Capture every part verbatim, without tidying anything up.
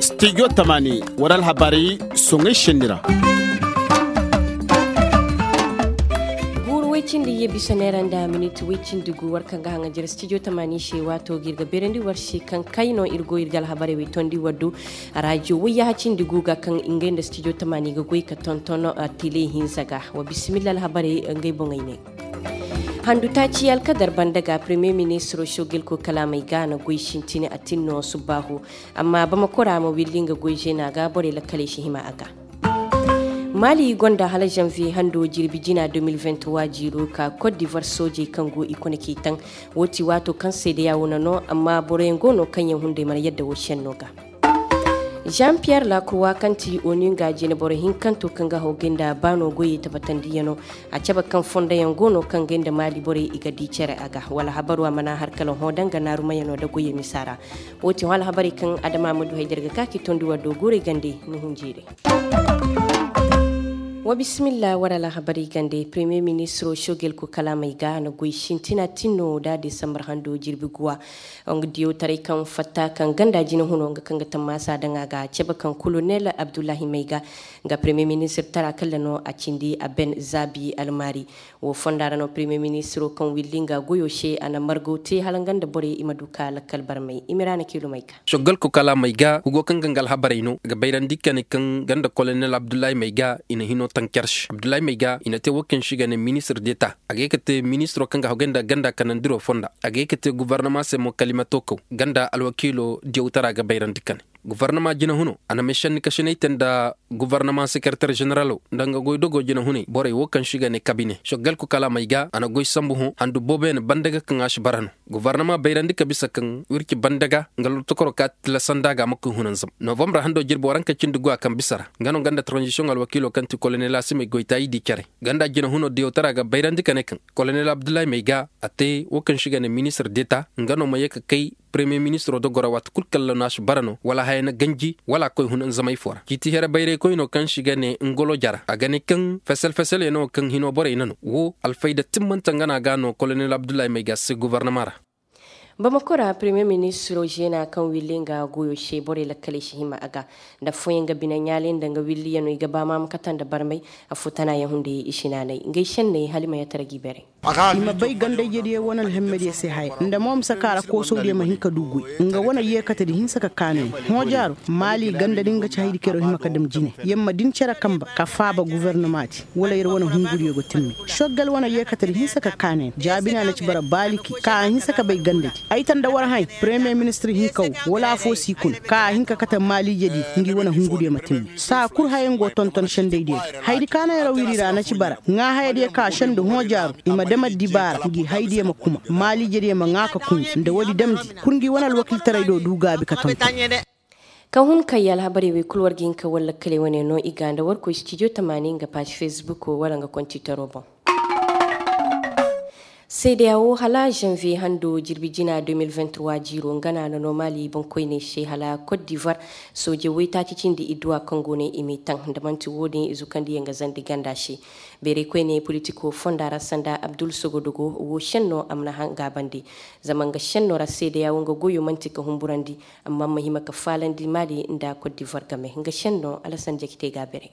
Studio tamani, wara alhabarey soŋay senni ra. Guuru way cindi ye bisa neera nda miniti way cindi gu war kaŋ ga haŋa jere studio tamani se waato ga iri ga beerandi war se kaŋ kay no iri go iri ga alhabarey way tondi war do. Raajiyo wayyaha cindi gu ga kaŋ ngey nda studio tamani ga goy ka tonton tele hinza ga wa bisimilla alhabarey ngey boŋey ne. Handu taaci alkadar banda ga premier ministro shogel ko kalaamey ga na goy sintini a tinno subbaahu. Amma bamakora ma willi nga goy zeena ga borey lakkaley si hima a ga. Maali gonda hala janvier hando jirbi jina deux mille vingt-trois jiiro ka cote d'ivoire soojey kaŋ go i kone k'i taŋ. Wo ti waato kaŋ seedeya wo na no amma boroyaŋ go no kaŋ yaŋ hunday mana yadda wo senno ga. Jean pierre lacroix kaŋ ti onu nga jine boro hinkanto kaŋ ga hawgay nda baano goyey tabbatandiyano. A cabe kaŋ fondoyaŋ go no kaŋ gay nda maali borey i ga di care a ga wala habaru a mana har kala hõ danga naarumayano nda goyey misa ra. Wo ti hõ alhabarey kaŋ adama ma du hay da iri ga ka k'i tondi war do guurey gande ni hunjeerey. Wa bisimilla war alhabarey gande premier ministro shogel ko kalaamey ga a na goy sintina tinno da desambar hando jirbi guwa. Nga diyawtaray kaŋ fatta kaŋ ganda jine huno nga kaŋ ga tammaasa daŋ a ga a cabe kaŋ kolonel abdullahi mayga. Nga premier ministir tara kalla no a cindi a ben zaabi almaari. Wo fonda ra no premier ministiro kaŋ willi nga goyo se a na margaw te hala nga nda borey i ma du ka lakkal barmay i ma ra na kiilu mayga. Soggal ko kala mayga hugo kaŋ ga nga alhabarey no a ga bayrandi kane kaŋ ganda kolonel abdullahi mayga i na hino taŋ care se abdullahi mayga i na te wo kaŋ se i ga ne ministir deta a ga ye ka te ministiro kaŋ ga hagay nda ganda kanandiro fonda a ga ye ka te gubarnama se mo kalimato kaw ganda alwakiilo diyawtara ga bayrandi kane. Gubarnama jina huno a na may sanni kasinay te nda gubarnama sekeretar zeneralo nda nga goy dogo jina hunay borey wo kaŋ se i ga ne kabine soggal ko kala may ga a na goy sambu hõ handu boobo yaŋ banda ga kaŋ a si bara no. Gubarnama bayrandi ka bisa kaŋ wirci banda ga nga lortokoro ka tila sanda ga ma koy hunanzam novambra hando jirbi waranka cindi go a kaŋ bisa ra nga no ganda tranzisiyoŋ alwakiilo kaŋ ti kolonel asimey goytayi di care ganda jina huno diyawtara ga bayrandi ka ne kaŋ kolonel abdullahi may ga a te wo kaŋ se i ga ne ministir deta nga no ma ye ka kay premier ministro dogora waati kulu kaŋ lannaasu bara no wala haya na ganji wala a koy hunanzamay fo ra ciiti here bayraykoy no kaŋ se i ga ne ngolo jara a ga ne kaŋ fesel fesel yaŋ no kaŋ hino borey na no wo alfayda timmante nga no a ga no kolonel abdullahi may ga se gubarnama ra. Bamako ra premier ministro zeena kaŋ willi nga goyo se borey lakkaley si hima a ga nda fooyaŋ ga bine ɲaalay nda nga willi yaŋ no i ga ba ma ma kate nda barmay. Afo tana yaŋ hunday i si naanay ngey senney hala i ma yatara g'i beeray. I ma bay gandayjediyaŋ wane alhemmediyaŋ se haya nda mo ma saka ra koosawdiyaŋ ma hin ka du goy. Nga wane yeekatedi hinsa ka kaanay hõ jaaro maali ganda din ga ci haydi kero hima ka dam jine. Yamma din cere kamba ka faaba guvernomaati wala yer wane hunguriyaŋ go timmi. Soggal wane yeekatedi hinsa ka kaanay jaabina na ci bara baaliki ka a hinsa ka bay gandadi ay tanda war hay. Premier ministir hinka wo wala afo si kun ka a hin ka kate maaliijediyaŋ ngi wane hunguriyaŋ ma timmi saa kulu hayaŋ go tonton sendaydiyaŋ. Haydi kaana yaraw iri ra na ci bara ŋaa hayadiyaŋ ka senda hõ jaaru i ma dam addibaara ngi haydiyaŋ ma kuma maaliijediyaŋ ma ŋaa ka kun nda woodi damndi kulu ngi wane alwakiltaray do du gaabi ka tonton. Ka hun kay alhabarey wey kulu war ga hin ka war lakkaley wane no i ga nda war koy studio tamaani nga paazi facebook wala nga kontitaro boŋ. Seedeya wo hala janvier hando jirbi jina deux mille vingt-trois jiiro nga no a na no maali boŋkoyney se hala cote d'ivoire. Sooje waytaaci cindi idduwa kaŋ go no i m'i taŋ nda manti wo-din i zukandi yaŋ ga zandi ganda se. Beeray koyne politiko fonda ra sanda abdul sogodogo wo senno a mana hanga bande. Zama nga senno ra seedeya wo nga goyo manti ka humburandi. Amma ma hima ka faalandi maali nda cote d'ivoire game nga senno alasan jakite ga beeray.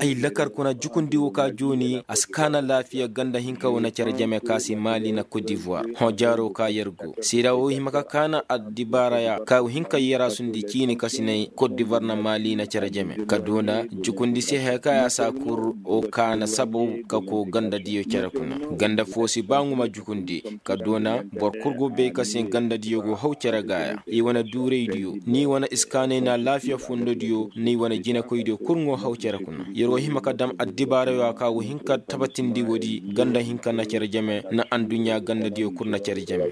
Ay lakar kuna jukundi wo ka jooni a si kaana laafiya ganda hinka wo na care jame ka si maali na cote d'ivoire hõ jaaro ka yer go seeda wo hima ka kaana addibaaraya ka hinka yera sundi ciini ka si nay cote d'ivoire na maali na care jame ka doona jukundi se haya ka ya sa kur wo kaana sabaw ka ko ganda diyo care kuna ganda fo si ba ŋuma jukundi ka doona boro kulu go bay ka se ganda diyo go haw care gaaya i wane duuray diyo ni wane iskaanay na laafiya fondo diyo ni wane jinakoy diyo kulu ŋo haw care kuna yer wo hima ka dam addibaarayo a ka wo hinka tabatindi woodi ganda hinka na care jame na anduɲɲa ganda diyo kulu na care jame.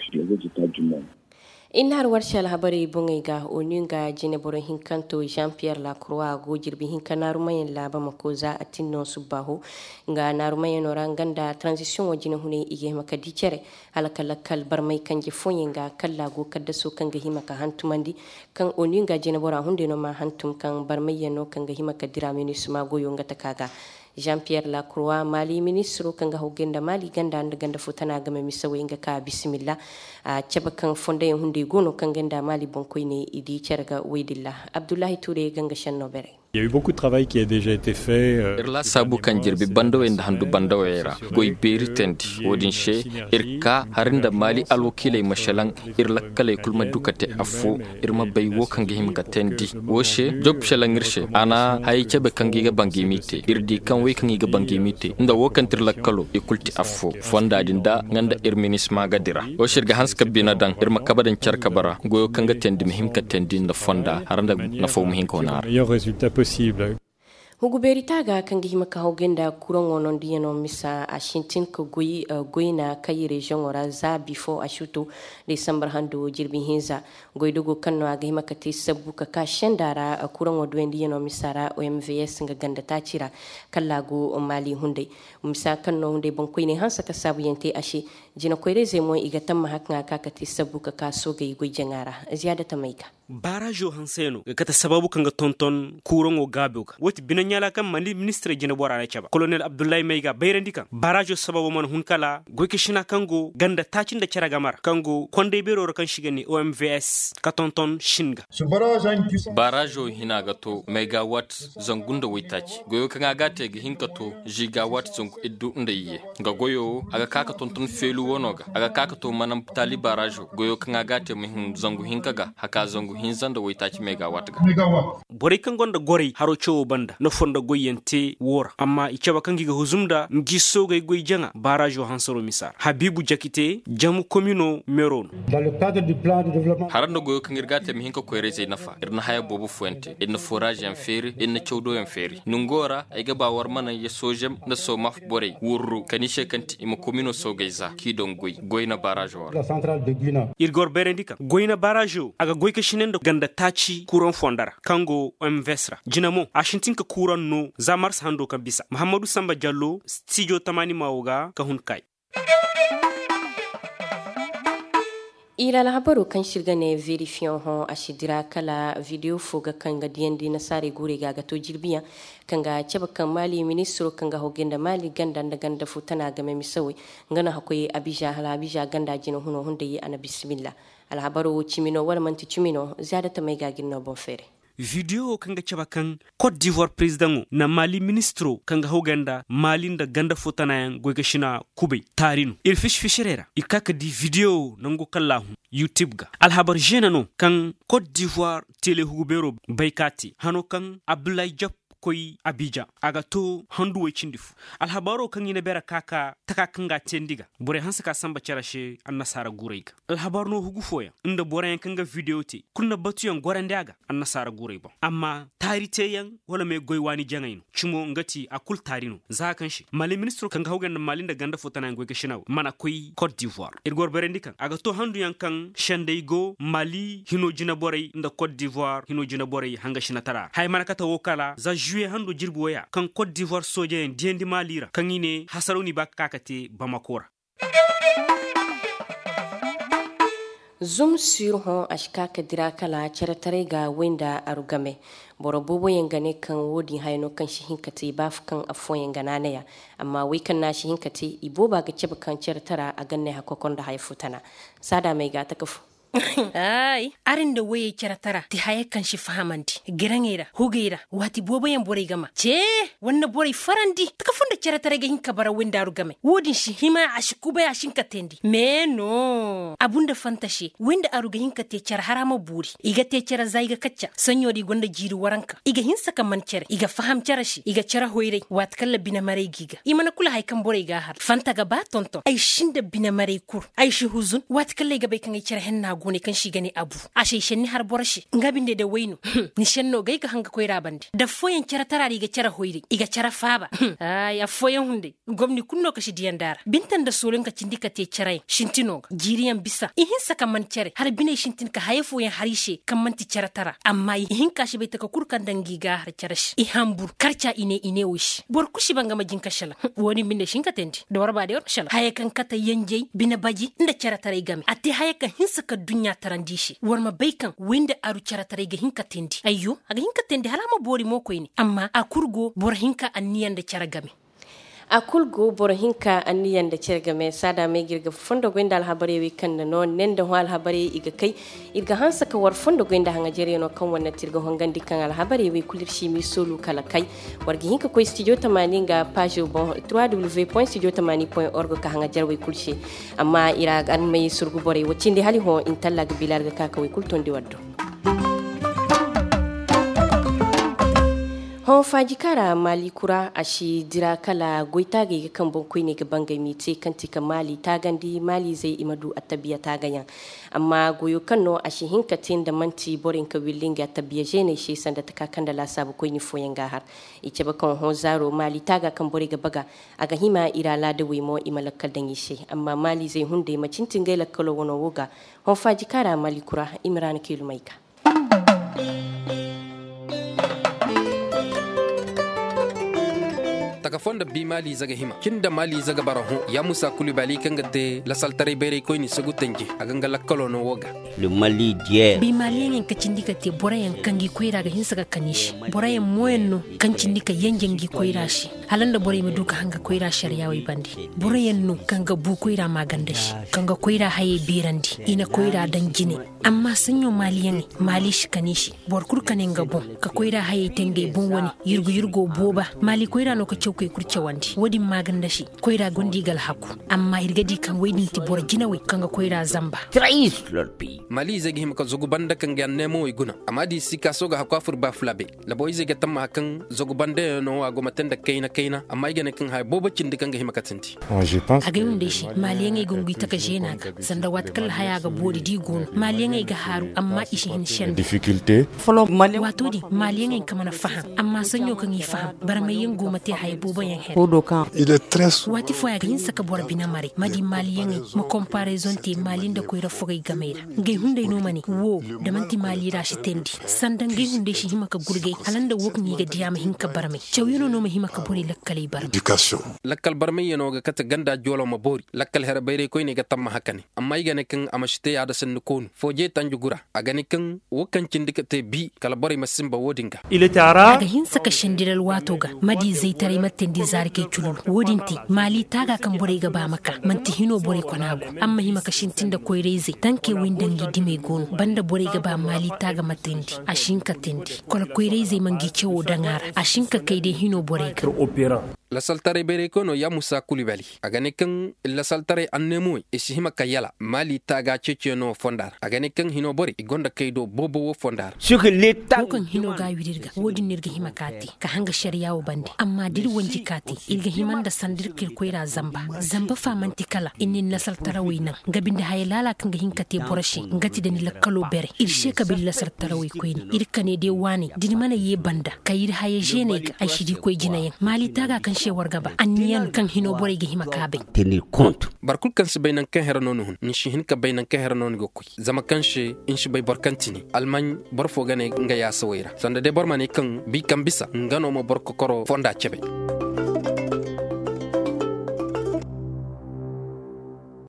Inna har warse alhabarey boŋey ga onu nga jineboro hinkanto jean pierre lacroix go jirbi hinka naarumayaŋ laaba ma ko za a tinno subbaaho. Nga naarumayaŋo ra nga nda transition wo jine hunay i ga hima ka di care hala ka lakkal barmay kanje fooyaŋ ga kalla go kaddaso kaŋ ga hima ka hantumandi. Kaŋ onu nga jinebora hunday no ma hantum kaŋ barmayyaŋ no kaŋ ga hima ka dira minisma goyo nga taka ga. Jean Pierre Lacroix, Mali ministiro kaŋ ga hawgay nda Mali ganda nda ganda fo tana game misawey nga ka bisimilla. A cabe kaŋ fondayaŋ hunday go no kaŋ ga nda Mali boŋkoyney i di care ga woy din ra. Abdullahi Ture ga nga senno beeray. Iri laasaabu kaŋ jirbi bandawey nda handu bandawey ra goy beeri teendi. Wo-din se, iri ka hari nda Mali alwakiiley ma salaŋ, iri lakkaley kulu ma du ka te affo, iri ma bay wo kaŋ ga hima ka teendi. Wo se, job salaŋ iri se, a na hayey cabe kaŋ ga i ga bangimi te. Iri di kaŋ wey kaŋ i ga bangimi te nda wo kaŋ ti iri lakkalo, i kulu ti affo. Fonda din da nga nda iri minisma ga dira. Wo se iri ga hanse ka bine daŋ, iri ma kabe daŋ care kabe ra, goyo kaŋ ga teendi ma hima ka teendi nda fonda, hari nda nafaw ma hin ka wane a ra. Hugu beeri taaga kaŋ ga hima ka hawgay nda kuraŋo nondiyano misa a sintin ka goy goyna kay reziyoŋo ra za bifo a suto, desambar hando jirbi hinza. Goydogo kaŋ no a ga hima ka te sabbu ka ka senda ra kuraŋo doyandiyano misa ra omvs nga ganda taaci ra, kala a go maali hunday. Misa kaŋ no hunday boŋkoyney hanse ka saabuyaŋ te a se. Jinakoyrayzey mo i ga tammaha kaŋ a ka ka te sabbu ka ka soogey goy jaŋa ra. Ziyaada tamey ga. Baarazo hanse no ga kate sababu kaŋ ga tonton kuuraŋo gaabo ga wo ti bine ɲaala kaŋ mali ministirey jinabora na cabe kolonel abdullahi may ga bayrandi kaŋ baarazo sababo mana hun kala goykasina kaŋ go ganda taaci nda care game ra kaŋ go konday beero ra kaŋ se i ga ne omvs ka tonton sin ga. Baarazo hina ga to may ga waati zangu nda waytaaci goyo kaŋ a ga a te ga hin ka to ziga waati zangu iddu nda iyye. Nga goyo wo a ga ka ka tonton feelu wano ga a ga ka ka to manam taali baarazo goyo kaŋ a ga a te ma hin zangu hinka ga haka zangu hinza nda waytaaci megawaati ga. Borey kaŋ gonda goray haro cawo banda na fondo goyyaŋ te wo ra amma i cabe kaŋ ga i ga huzum nda ngi soogey goy jaŋa baarazo hansaro misa ra habiibu jakite jamu komino mero no. Hara nda goyo kaŋ iri ga a te ma hin ka koyrayzey nafa iri na haya boobo fooyaŋ te iri na foraaz yaŋ feeri iri na cawdo yaŋ feeri nango ra ay ga ba war ma naŋ ya soozem nda soomaf borey wurru kani se kaŋ ti i ma komino soogey za k'i daŋ goy goy na baarazo ra. Iri ga war bayrandi kaŋ goy na baarazo a ga goy ka sine nda ganda taaci kuuraŋ fondo ra kaŋ go omvs ra jina mo a sintin ka kuuraŋ no za mars hando kaŋ bisa muhammadu samba jallo stijo tamaani maawo ga ka hun kay. Iri alhabaro kaŋ se iri ga ne verifiyaŋ hõ a si dira kala video fo ga kaŋ ga diyandi nasaarey guurey ga a ga to jirbiyaŋ kaŋ ga cabe kaŋ maali ministiro kaŋ ga hogay nda maali ganda nda ganda fo tana game misawey nga no hakkoy abiza hala abiza ganda jina huno hunday a na bisimilla. Alhabaro wo cimi no wala manti cimi no ziyaada tamey ga ga iri no boŋ feeray. Video wo kaŋ ga cabe kaŋ kot divoir perezidaŋo na mali ministiro kaŋ ga hawgay nda mali nda ganda fo tanayaŋ goy ga sina kubay taari no iri fisi-fisirey ra iri ka ka di video wo nango kaŋ laahun yutube ga alhabar zeena no kaŋ kot divoir telehugu beero bay ka te hano kaŋ abdullahi jap koy abijan a ga to handu way cindi fo. Alhabaaro kaŋ i na beera ka ka taka kaŋ ga a teendi ga borey hanse ka samba care se annasaara guurey ga alhabar no hugu fooyaŋ nda boroyaŋ kaŋ ga video te kulu na batuyaŋ gorandi a ga annasaara guurey boŋ amma taari teeyaŋ wala me goy waani jaŋay no cimo nga ti a kulu taari no za kaŋ se mali ministiro kaŋ ga hawgay nda mali nda ganda fo tanayaŋ goy ga sina wo mana koy kot divoir iri goro bayrandi kaŋ a ga to handuyaŋ kaŋ senday go mali hino jina borey nda kot divoir hino jina borey hanga sinatara ra haya mana kate wo kala za zuye hando jirbi waya kaŋ kot divoir soojeyaŋ diyandi mali ra kaŋ i ne hasaraw n'i ba ka ka ka te bamako ra. Zum sur hõ a si ka ka dira kala care taray ga way nda aru game. Boro boobo yaŋ ga ne kaŋ wo- din haya no kaŋ si hin ka te baafu kaŋ affooyaŋ ga naanay a amma wey kaŋ no a si hin ka te i booba ga cabe kaŋ care tara a ga ne hakkokonda haya fo tana. Saada may ga taka fo. Ay, araŋ nda wayey care tara ti haya kaŋ si fahamandi giraŋey ra hugey ra waati boobo yaŋ borey ga ma ce wanda borey farandi taka fo nda care taray ga hin ka bara wayndaaru game wo- din si hima a si kubay a si hin ka teendi me no a bunda fanta se wayndaaru ga hin ka te care hara ma buuri i ga te care za i ga kacca saɲɲo da i gonda jiiri waranka i ga hinsa ka man care i ga faham care se i ga care hoyray waati kaŋ la bine maray ga i ga i mana kulu haya kaŋ borey ga a har fanta ga ba tonton ay si nda bine maray kuru ay si huzun waati kaŋ lay ga bay kaŋ ay care henna go ne kaŋ si ga ne abu a si ay senni har boro se nga binde da way no ni senno ga ay ga hanga koyra bande da fooyaŋ care tara ra i ga care hoyray i ga care faaba ay affooyaŋ hunday gomni kulu no ka si diyaŋ daara binta nda soolin ka cindi ka te careyaŋ sintino ga jiiriyaŋ bisa i hinsa ka man care hala biney sintin ka haya fooyaŋ har i se kaŋ manti care tara amma i hinka si bay taka kulu kaŋ daŋ ga i ga har care se i hambur karca i ne i ne wo i se boro kulu si ba nga ma jin ka selaŋ wo- din binde si hin ka teendi da war ba day war ma selaŋ haya kaŋ kate yanjey bine baji nda care taray game a te haya kaŋ hinsa ka duɲɲa tarandi se. War ma bay kaŋ way nda aru care taray ga hin ka teendi ayyo a ga hin ka teendi hala a ma boori mo koyne amma a kulu go boro hinka anniya nda care game. A kulu go boro hinka anniya nda care game saada me ga iri ga fondo goy nda alhabarey wey kaŋ nda no ne nda hõ alhabarey i ga kay. Iri ga hanse ka war fondo goy nda haŋajarey no kaŋ war na te iri ga hongandi kaŋ alhabarey wey kulu iri si i m'i soolu kala kay. War ga hin ka koy studio tamaani nga paazo boŋ trois w point studio tamaani point org ka haŋajarey wey kulu se. Amma iri a ga armay surgu borey wo cindi hala i hõ intalla ga bilaari ga ka ka wey kulu tondi war do. Hõ faaji kaŋ ra maali kura a si dira kala goy taagey ga kaŋ boŋ koyne ga bangay m'i te kaŋ ti ka maali taagandi maaliizey i ma du attabiya taagayaŋ. Amma goyo kaŋ no a si hin ka te nda manti borey nka willi nga attabiya zeeney se sanda taka kaŋ nda laasaabu koyne fooyaŋ ga a har. I cabe kaŋ hõ zaaro maali taaga kaŋ borey ga baga a ga hima iri alaadawey mo i ma lakkal daŋ i se. Amma maaliizey hunday ma cinti ngey lakkalo wano wo ga. Hõ faaji kaŋ ra maali kura i ma ra na keelumey ga. Taka fo nda bi maaliize ga hima cin da maaliize ga bara hõ ya musa kulu baali kaŋ ga te lasaltaray bayray koyne sagu tanje a ga nga lakkalo no wo ga. Bi maaliyaŋey ka cindi ka te boroyaŋ kaŋ ga i koyra ga hinsa ga kani se. Boroyaŋ mooyaŋ no kaŋ cindi ka yanjandi koyra se hala nda borey ma du ka hanga koyra sariya wey bande. Boroyaŋ no kaŋ ga bu koyra maaganda se kaŋ ga koyra hayey beerandi i na koyra daŋ jine. Amma saɲɲo maaliyaŋey maali si kani se. Boro kulu kani nga boŋ ka koyra hayey te ngey boŋ wane yurgu yurgo booba maali koyra no ka cawkey kulu cawandi wo- din maaganda se. Koyra gonda i ga alhaku. Amma iri ga di kaŋ wo- din ti boro jinawey kaŋ ga koyra zamba. Maali izey ga hima ka zagu banda kaŋ ga anneemawey guna. Amma da i si kaaso ga haku a fur baafulabe. Labo izey ga tammaha kaŋ zagu banda yaŋ no a go ma te nda kayna kayna amma ay ga ne kaŋ haya boobo cindi kaŋ ga hima ka tindi. Agay hunday se maaliyaŋey ga ngu i taka zeena ga sanda waati kaŋ lahaya ga boori da i go no maaliyaŋey ga haaru amma i si hin senda. Waato din maaliyaŋey ka mana faham amma saɲɲo kaŋ i faham barmayyaŋ go ma te haya boobo yaŋ here. Waati fooyaŋ a ga hinsa ka boro bine maray ma di maaliyaŋey ma kompaarezon te maali nda koyra fogey gamey ra. Ngey hunday no ma ne wo da manti maali ra si teendi sanda ngey hunday si hima ka gurgay hala nda wo kaŋ i ga diya ma hin ka barmay cawyaŋo no ma hima ka borey lakkaley barmay. Lakkal barmayyaŋo ga kate ganda joolo ma boori lakkal here bayray koyne ga tamma haka ne. Amma ay ga ne kaŋ a ma si te yaada sanni koonu fooje tanji gura a ga ne kaŋ wo kaŋ cindi ka te bi kala borey ma sinba wo- din ga. A ga hinsa ka sendiri alwaato ga ma di zaytaray ma teendi zaarikey cululu wo- din te maali taaga kaŋ borey ga ba ma ka manti hino borey kona go. Amma hima ka sintin nda koyra-izey tankey wey nda ngi dimey go no banda borey ga ba maali taaga ma teendi a si hin ka teendi. Kala koyra-izey ma ngi cawo daŋ a ra a si hin ka kay day hino borey ga. Lasaltaray bayray koyno ya musa kulibali a ga ne kaŋ lasaltaray anneemawey i si hima ka yala maali taaga ceeciyaŋo fonda ra a ga ne kaŋ hino borey i gonda kay do boobo wo fonda ra. Wo kaŋ hino ga a wiri iri ga wo- din no iri ga hima ka te ka hanga sariya wo bande amma da iri wanji ka te iri ga hima nda sanda iri ka iri koyra zamba. Zamba fa manti kala iri na iri nasartarawey naŋ nga binde haya laala kaŋ ga hin ka te boro se nga ti da ni lakkalo bere iri se ka ba iri nasartarawey koyne iri kane day waaney da ni mana ye banda kay iri haya zeeney ga ay si di koy jinayaŋ maali taaga kaŋ se war ga ba anniya no kaŋ hino borey ga hima ka bay. Boro kulu kaŋ si bay nangu kaŋ here no ni hun ni si hin ka bay nangu kaŋ here no ni ga koy zama kaŋ se ni si bay boro kaŋ ti ni almaŋ boro fo ga ne nga yaasawey ra sanda day boro ma ne kaŋ bi kaŋ bisa nga no ma boro kokoro fonda cabe.